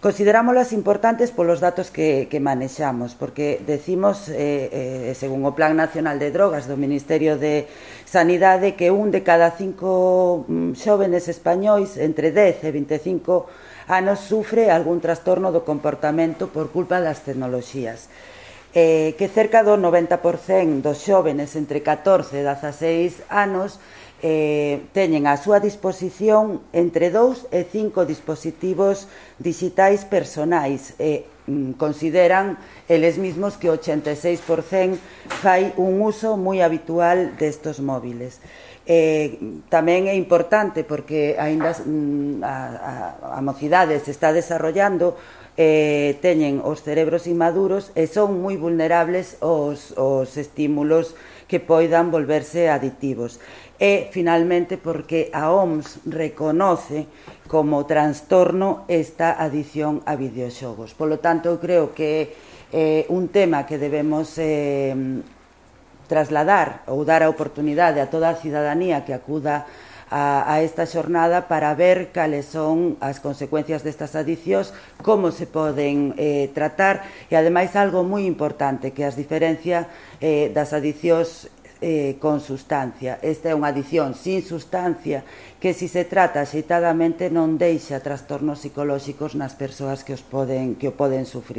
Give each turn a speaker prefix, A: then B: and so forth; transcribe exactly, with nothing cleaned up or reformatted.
A: Considerámolas importantes polos datos que, que manexamos, porque decimos, eh, eh, según o Plan Nacional de Drogas do Ministerio de Sanidade, que un de cada cinco xóvenes españois entre dez e vinte e cinco anos sufre algún trastorno do comportamento por culpa das tecnoloxías. Eh, que cerca do noventa por cento dos xóvenes entre catorce e dezaseis anos Eh, teñen á súa disposición entre dous e cinco dispositivos digitais personais e mm, consideran eles mesmos que o ochenta e seis por cento fai un uso moi habitual destos móviles. Eh, tamén é importante porque aínda mm, a, a, a mocidade se está desarrollando, eh, teñen os cerebros inmaduros e son moi vulnerables aos, aos estímulos que poidan volverse aditivos. E, finalmente, porque a O M S reconoce como trastorno esta adición a videoxogos. Polo tanto, eu creo que é eh, un tema que debemos eh, trasladar ou dar a oportunidade a toda a cidadanía que acuda a, a esta xornada para ver cales son as consecuencias destas adicións, como se poden eh, tratar e, ademais, algo moi importante, que as diferencia eh, das adicións Eh, con sustancia. Esta é unha adición sin sustancia que, se se trata axeitadamente, non deixa trastornos psicolóxicos nas persoas que, os poden, que o poden sufrir.